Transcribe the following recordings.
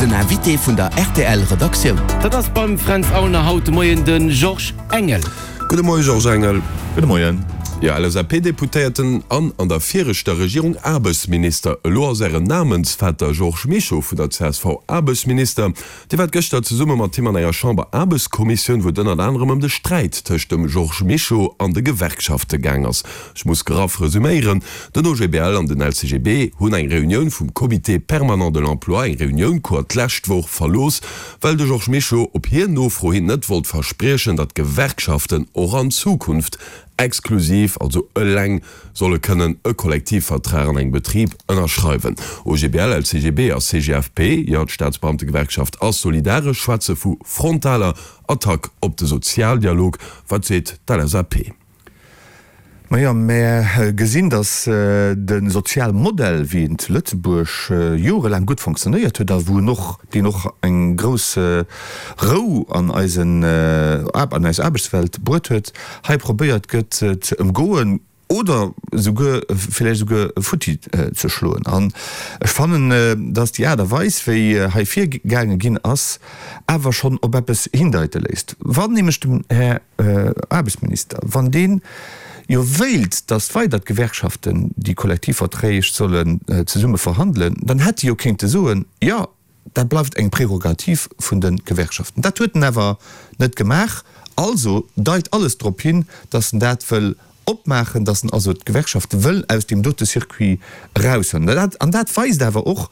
Den Invité vun der rtl Redaktioun. Dat ass beim Fränz Aulner haut de Moien de Georges Engel. Gudde Moie Georges Engel. Gudde Moien. Jo, LSAP-Deputéierten an an der viregter Regierung Aarbechtsminister. Elo ass Ären Namensvetter Georges Mischo vun der csv Aarbechtsminister. Dir waart gëschter zesumme mat him an enger Chamber-Aarbechtskommissioun, wou et ënnert anerem ëm de Sträit tëscht dem Georges Mischo an de Gewerkschafte gaang ass. Ech muss graff resüméieren, Den OGBL an den LCGB hunn eng Reunioun vum Comité permanent de l'emploi, eng Reunioun cour, d'lescht Woch verlooss, well de Georges Mischo op hir Nofro hin net wollt verspriechen, datt d'Gewerkschaften och an Zukunft exklusiv, also eleng, solle kënnen e Kollektivvertrag an engem Betrib ënnerschreiwen. OGBL, LCGB a CGFP, jo, d'Staatsbeamtegewerkschaft ass solidaresch, schwätze vu frontaler Attack op de Sozialdialog. Wat seet d'LSAP? Majo, mär gesinn, datt de Sozialmodell, wéi en zu Lëtzebuerg jorelaang gutt fonctionnéiert huet a wou en och, deen och eng grouss Rou an eisen, an eis Aarbechtswelt bruet huet, hei probéiert gëtt ze ëmgoen oder esouguer villäicht esouguer futti ze schloen. An ech fannen, datt déi Aart a Weis, wéi hei virgaange ginn ass, awer schonn op eppes hindeite léisst. Wann nämlech dem Här Aarbechtsminister, wann deen jo wéilt, datt weider d'Gewerkschaften déi Kollektivverträg sollen zesumme verhandelen, dann hätt e jo kéinte soen, jo, Dat bleift eng Prerogativ vun de Gewerkschaften. Dat huet en awer net gemaach. Also deit alles drop hin, datt en dat wëll opmaachen, datt en also d'Gewerkschafte wëll aus deem dote Circuit eraushuelen. An dat weist awer och,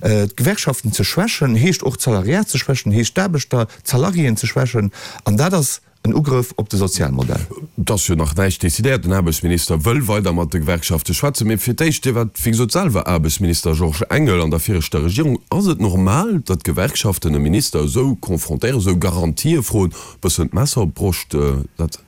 D'Gewerkschaften ze schwächen, heescht och d'Salariat ze schwächen, heescht d'Aarbechter, d'Salariéen ze schwächen. An dat ass En Ugrëff op de Sozialmodell. Et ass jo nach näischt decidéiert. Den Aarbechtsminister wëll weider mat de Gewerkschafte schwätzen. Mee fir d'éischt, Dir waart wéi gesot selwer Aarbechtsminister, Georges Engel, an der viregter Regierung. Ass et normal, datt d'Gewerkschaften e Minister esou confrontéieren, esou Garantië froen, e bëssen d'Messer op d'Broscht setzen?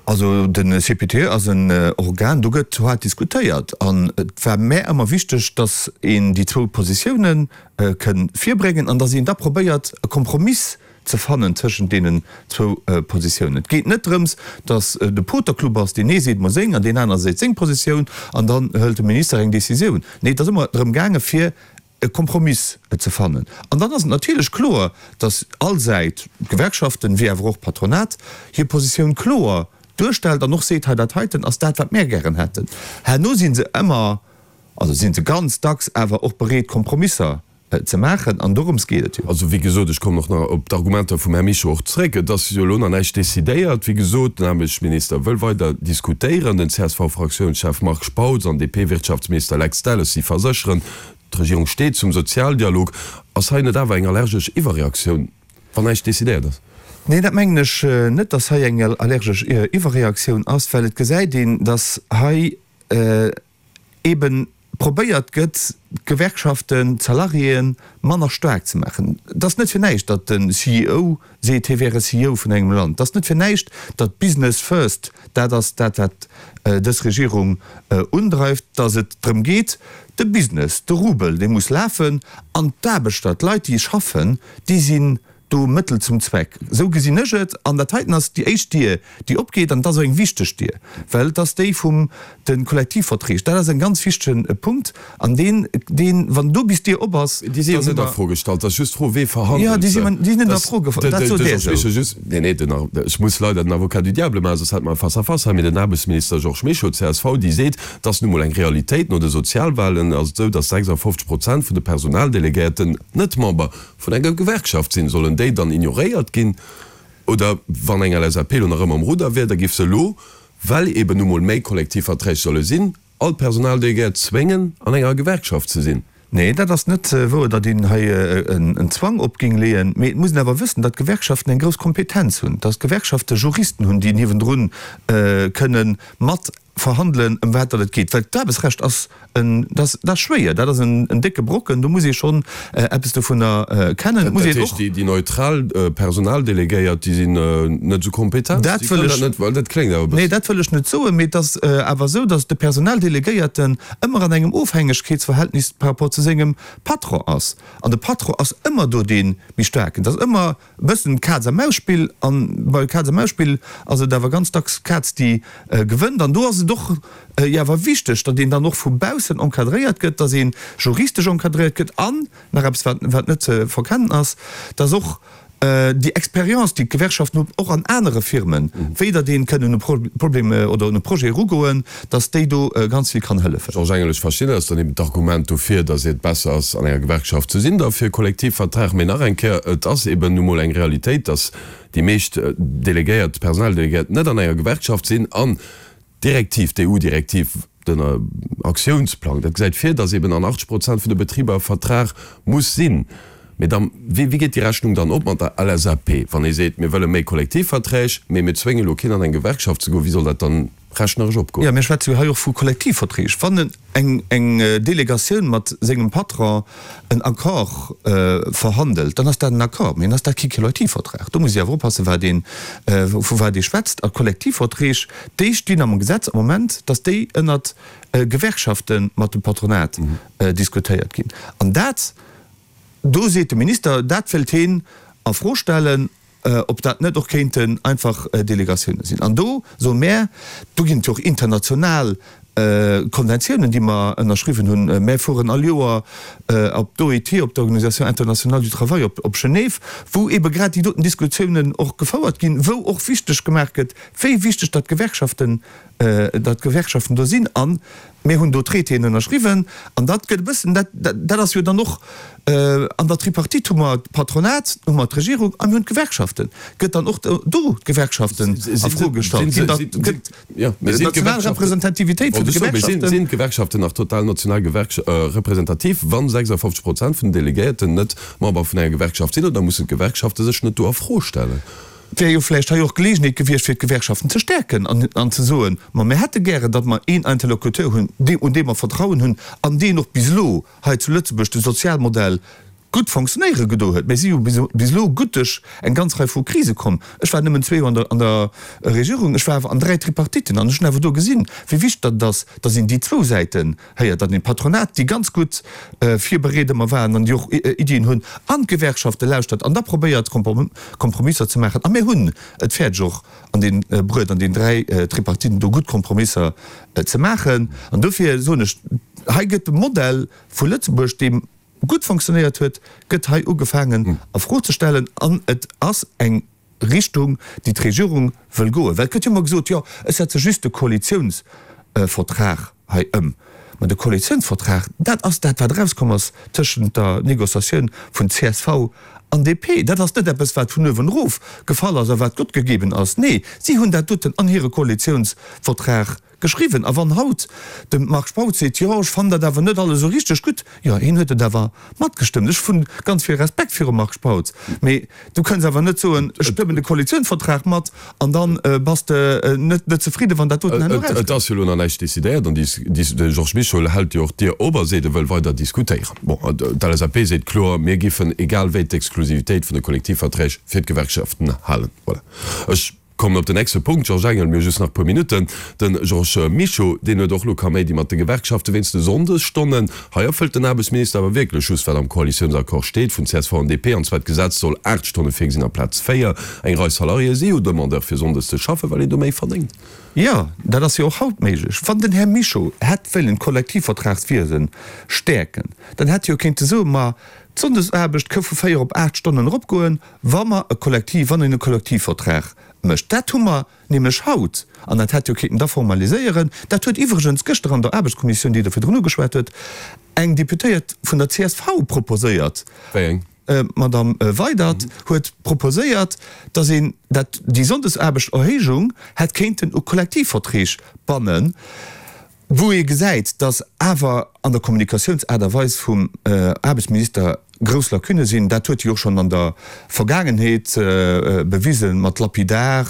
Also de CPTE ass en Organ, do gëtt haart diskutéiert. An et war mär ëmmer wichteg, datt een déi zwou Positioune kënn virbréngen an datt een da probéiert e Kompromiss ze fannen tëschent deenen zwou Positiounen. Et geet net drëms, datt de Poterclub ass, deen ee seet mol seng an deen aner seet seng Positioun an dann hëlt de Minister eng Décisioun. Nee, et ass ëmmer drëm gaange fir e Kompromiss ze fannen. An dann ass et natierlech kloer, datt all Säit, d'Gewerkschaften wéi awer och d'Patronat, hir Positioun kloer duerstellt an och seet, hei dat heiten ass dat wat mär gären hätten. Herno si se ëmmer, also si se ganz dacks awer och bereet Kompromisser ze maachen, an dorëms geet et jo. Also, wéi gesot, ech kommen och nach op d'Argumenter vum Här Mischo och zréck. Et ass jo elo nach näischt decidéiert. Wéi gesot, den Aarbechtsminister wëll weider diskutéieren. Den CSV-Fraktiounschef Marc Spautz an DP-Wirtschaftsminister Lex Delles, si versécheren, d'Regierung steet zum Sozialdialog. Ass hei net awer eng allergesch Iwwerreaktioun, wann näischt decidéiert ass? Nee, dat mengen ech net, datt hei eng allergesch Iwwerreaktioun ass, well et gesäit een, datt hei eebe probéiert gëtt, d'Gewerkschaften, d'Salariéen manner staark ze maachen. Et ass net fir näischt, datt de CEO seet, hie wär e CEO vun engem Land. Et ass net fir näischt, datt Business first dat ass, dat wat dës Regierung undreift, datt et drëm geet, de Business, de Rubel, dee muss lafen an d'Aarbechter, d'Leit, déi schaffen, déi sinn Do Mëttel zum Zweck. Esou gesinn ech et. An dat heiten ass déi éischt Dier, déi opgeet. An et ass och eng wichteg Dier, well et ass déi vum de Kollektivverträg. Dat ass en ganz wichtege Punkt. An deen, deen, wann do bis d'Dier op ass, Déi si jo net a Fro gestallt. Et ass just d'Fro, wee verhandelt se. Jo, déi sinn, déi sinn net a Fro gestallt. Dat sot Där esou. Nee, nee, den, ech muss leider den Avocat du diable maachen, soss hätte mer e Face-à-face hei. Mee den Aarbechtsminister Georges Mischo, csv, déi seet, et ass nu mol eng Realitéit, no de Sozialwahlen ass et esou, datt 56 Prozent vun de Personaldelegéierten net Member vun enger Gewerkschaft sinn, sollen déi dann ignoréiert ginn? Oder wann eng LSAP elo nach ëmmer um Rudder wier, da giff se elo, well eben nu mol méi Kollektivverträg solle sinn, all d'Personaldelegéiert zwéngen, an enger Gewerkschaft ze sinn? Nee, dat ass net wouer, datt een hei en Zwang op géing leeën. Mee et muss een awer wëssen, datt d'Gewerkschaften eng grouss Kompetenz hunn, datt d'Gewerkschafte Juristen hunn, déi niewendrun kënne mat verhandelen, ëm wat datt et geet, well d'Aarbechtsrecht ass en, dat ass schwéier, dat ass en décke Brocken, do muss ee schonn eppes dovunner kennen. Et muss een och. Dat heescht, déi neutral Personaldelegéiert, déi sinn net esou kompetent? Dat wëll ech. Well dat kléngt awer e bëssen. Nee, dat wëll ech net soen, mee et ass awer esou, datt de Personaldelegéierten ëmmer an engem Ofhängegkeetsverhältnis par rapport zu sengem Patron ass. An de Patron ass ëmmer do dee méi Staarken. Et ass ëmmer. E bëssen Kaz a Maus Spill, an bei Kaz a Maus Spill ass et awer ganz dacks d'Kaz déi gewënnt, an do ass et. ass et och jo awer wichteg, datt een dann och vu baussen encadréiert gëtt, datt ee juristesch encadréiert gëtt an, nach eppes wat wat net ze verkennen ass, datt och déi Expérience, déi d'Gewerkschaften hunn, och an anere Firmen, wéi datt ee kënnen un e Problem oder un e Projet erugoen, datt déi do ganz vill kann hëllefen. Georges Engel, Ech verstinn, dat ass dann eben d'Argument dofir, datt et besser ass, an enger Gewerkschaft ze sinn, da fir e Kollektivvertrag. Mee nach eng Kéier, et ass eben nu mol eng Realitéit, datt déi meescht Delegéiert, Personaldelegéiert net an enger Gewerkschaft sinn an d'Direktiv, d'EU-Direktiv, den Aktiounsplang, dat gesäit vir, datt eben an 80 Prozent vun de Betriber e Vertrag muss sinn. Mee da, wéi geet déi Rechnung dann op mat der LSAP, wann ee seet, mir wëlle méi Kollektivverträg, mee mir zwénge lo keen an eng Gewerkschaft ze goen, wéi soll dat dann rechneresch opgoen? Jo, mir schwätze jo hei och vu Kollektivverträg. Wann eng Delegatioun mat sengem Patron en Accord verhandelt, dann ass dat en Accord, mee dann ass dat kee Kollektivvertrag. Do muss ee awer oppassen, wat een, vu wat ee schwätzt. A Kollektivverträg, déi stinn am Gesetz am Moment, datt déi ënnert Gewerkschafte mat dem Patronat diskutéiert ginn. An dat, do seet de Minister, dat wéilt heen a Fro stellen, ob dat net och kéinten einfach Delegatioune sinn. An do soe mär, do ginn et jo och international Konventiounen, déi mer ënnerschriwwen hunn. Mär fueren all Joer op d'OIT, op d'Organisation internationale du travail op Genève, wou eebe grad déi doten Diskussiounen och gefouert ginn, wou och wichteg gemaach gëtt, wéi wichteg datt d'Gewerkschaften, datt d'Gewerkschaften do sinn. A mir hunn do Traitéen ënnerschriwwen. An dat gëtt e bëssen, dat, dat ass jo dann och an der Tripartite hu mer d'Patronat, hu mer d'Regierung a mir hunn d'Gewerkschaften. Gëtt dann och do d'Gewerkschaften a Fro gestallt? Ginn da, gëtt d'national Representativitéit vun de Gewerkschaften. Sinn d'Gewerkschaften nach total national representativ, wa 56 Prozent vun den Delegéierten net Member vun enger Gewerkschaft sinn? Oder mussen d'Gewerkschafte sech net do a Fro stellen? Et wär jo vläicht hei och d'Geleegenheet gewiescht, fir d'Gewerkschaften ze stäerken an ze soen, Ma mir hätte gären, datt mer een Interlocuteur hunn, un dee mer Vertrauen hunn an deen och bis elo hei zu Lëtzebuerg de Sozialmodell gutt fonctionnéiere gedo huet. Mir si jo bis elo gutt duerch eng ganz Rei vu Krise komm. Ech war nëmmen zwee Joer an der Regierung, ech war awer an dräi Tripartiten an ech hunn awer do gesinn, wéi wichteg datt et ass, datt een déi zwou Säiten héiert, datt een d'Patronat, déi ganz gutt virbereet ëmmer waren an déi och Iddien hunn, an d'Gewerkschafte lauschtert an da probéiert Kompromisser ze maachen. A mir hunn et fäerdeg och an dee bruet, an deenen dräi Tripartiten do gutt Kompromisser ze maachen. An dofir soen ech, hei gëtt de Modell vu Lëtzebuerg, dee gutt fonctionnéiert huet, gëtt hei ugefaangen a Fro ze stellen. An et ass eng Richtung, déi d'Regierung wëll goen. Well et gëtt jo ëmmer gesot, jo ech setze just de Koalitiounsvertrag hei ëm. Mä de Koalitiounsvertrag, dat ass dat, wat erauskomm ass tëschent der Négociatioun vun csv an DP. Dat ass net eppes, wat vun uewen erof gefall ass a wat gottgegeben ass. Nee, si hunn dat doten an hire Koalitiounsvertrag Geschriwwen. A wann haut de Marc Spautz seet, jo, ech fannen dat awer net alles esou richteg gutt, jo, hien huet et awer matgestëmmt. Ech hunn ganz vill Respekt virum Marc Spautz, mee du kënns awer net soen, ech stëmmen de Koalitiounsvertrag mat an da bass de net net zefridden, wann dat doten herno erauskënnt. Et ass jo elo nach näischt decidéiert an de Georges Mischo hält jo och d'Dier op a seet, e wëll weider diskutéieren. Bon, d'LSAP seet kloer, mir giffen egal wéi d'Exklusivitéit vun de Kollektivverträg fir d'Gewerkschaften halen. Voilà. Ech. Kommen op den nächste Punkt, Georges Engel, mir hu just nach e puer Minutten. De Georges Mischo, deen huet och elo Kaméidi mat de Gewerkschafte wéinst de Sonndesstonnen. Hei erfëllt den Aarbechtsminister awer wierklech just, wat am Koalitiounsaccord steet vun csv an DP, an zwar d'Gesetz soll 8 Stonne virgesinn amplaz 4. Eng Rei Salariéë si jo Demandeur fir sonndes ze schaffen, well een do méi verdéngt. Jo, dat ass jo och haut méiglech. Wann den Här Mischo hätt wëllen d'Kollektivvertragswiese stäerken, dann hätt hie jo kéinte soen, ma d'Sonndesaarbecht ka vu 4 op 8 Stonnen eropgoen, Wa mer e Kollektiv, wann een e Kollektivvertrag mécht, dat hu mer nämlech haut, an dat hätt jo kéinten da formaliséieren, dat huet iwwregens gëschter an der Aarbechtskommissioun, déi Der virdrun ugeschwat huet, eng Deputéiert vun der csv proposéiert, Wéi eng? d'Madame Weydert huet proposéiert, datt een dat, déi Sonndesaarbechterhéijung hätt kéinten u Kollektivverträg bannen. Wou ee gesäit, datt awer an der Kommunikatiounsaart a Weis vum Aarbechtsminister grouss Lacunne sinn, dat huet e jo och schonn an der Vergaangenheet bewisen, mat lapidar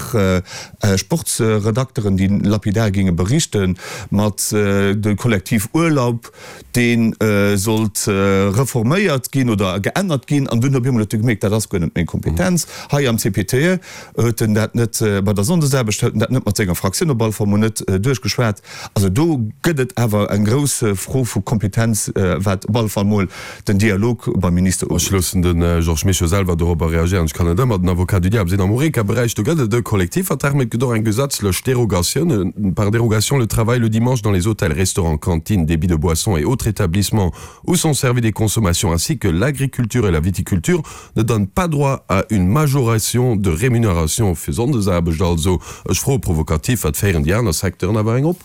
Sportsredakteren, déi lapidar géinge berichten, mat de Kollektivurlaub, dee sollt reforméiert ginn oder geännert ginn, an dunn op eemol huet e gemierkt, dat ass guer net meng Kompetenz. Hei am CPTE huet en dat net, bei der Sonndesaarbecht huet en dat net mat senger Fraktioun op alle Fall mol net duerchgeschwat. Also do gëtt et awer eng grouss Fro vu. Kompetenz, wat op alle Fall mol den Dialog beim Minister ugeet. Ech loossen de Georges Mischo selwer dorobber reagéieren. Ech kann net ëmmer den Avocat du diable sinn. Am Horeca-Beräich, do gëtt et e Kollektivvertrag, mee et gëtt och eng gesetzlech Derogatioun, par dérogation, le travail le dimanche dans les hôtels, restaurants, cantines, débits de boissons et autres établissements où sont servies des consommations ainsi que l'agriculture et la viticulture ne donnent pas droit à une majoration de rémunération fir Sonndesaarbecht. Also, ech froe provokativ, wat féieren déi aner Secteuren awer eng op?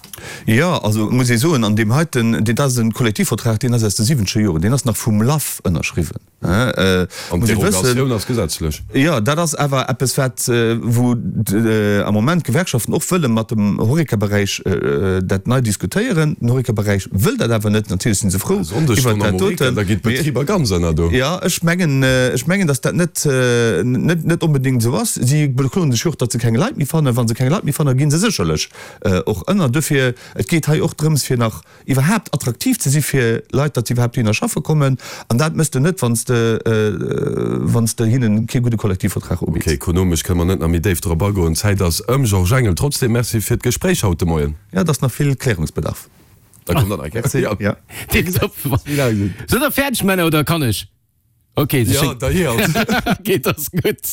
Jo, also muss ee soen, an deem heiten, dat ass e Kollektivvertrag, deen ass aus de siwwenzeger Joren, deen ass nach vum LAF ënnerschriwwen. An d'Derogatioun ass gesetzlech. Jo, dat ass awer eppes, wat, wou am Moment d'Gewerkschaften och wëlle mat dem Horeca-Beräich dat nei diskutéieren. Den Horeca-Beräich wëll dat awer net. Natierlech si se frou iwwert dat doten. Da ginn d'Betriber ganz ënner do. Jo, ech mengen, ech mengen, datt dat net, net, net onbedéngt esou ass. Si bekloen sech jo och, datt se keng Leit méi fannen. Wa se keng Leit méi fannen, gi se sécherlech och ënner. Dofir, et geet hei och drëms, fir nach iwwerhaapt attraktiv ze si fir Leit, datt se iwwerhaapt dohinner schaffe kommen. An dat méchs de net, wann s de, wann s de hinnen kee gudde Kollektivvertrag ubitt. Ok, ekonomesch kënne mer net nach méi déif drop agoen, d'Zäit ass ëm. Georges Engel, trotzdem Merci fir d'Gespréich haut de Moien. Jo, et ass nach vill Klärungsbedarf. Da kommt der nach eng Kéier. Merci, jo. Tipptopp. Sidd der fäerdeg, Männer, oder kann ech? Ok, Jo, da hier. Ok, dat ass gutt.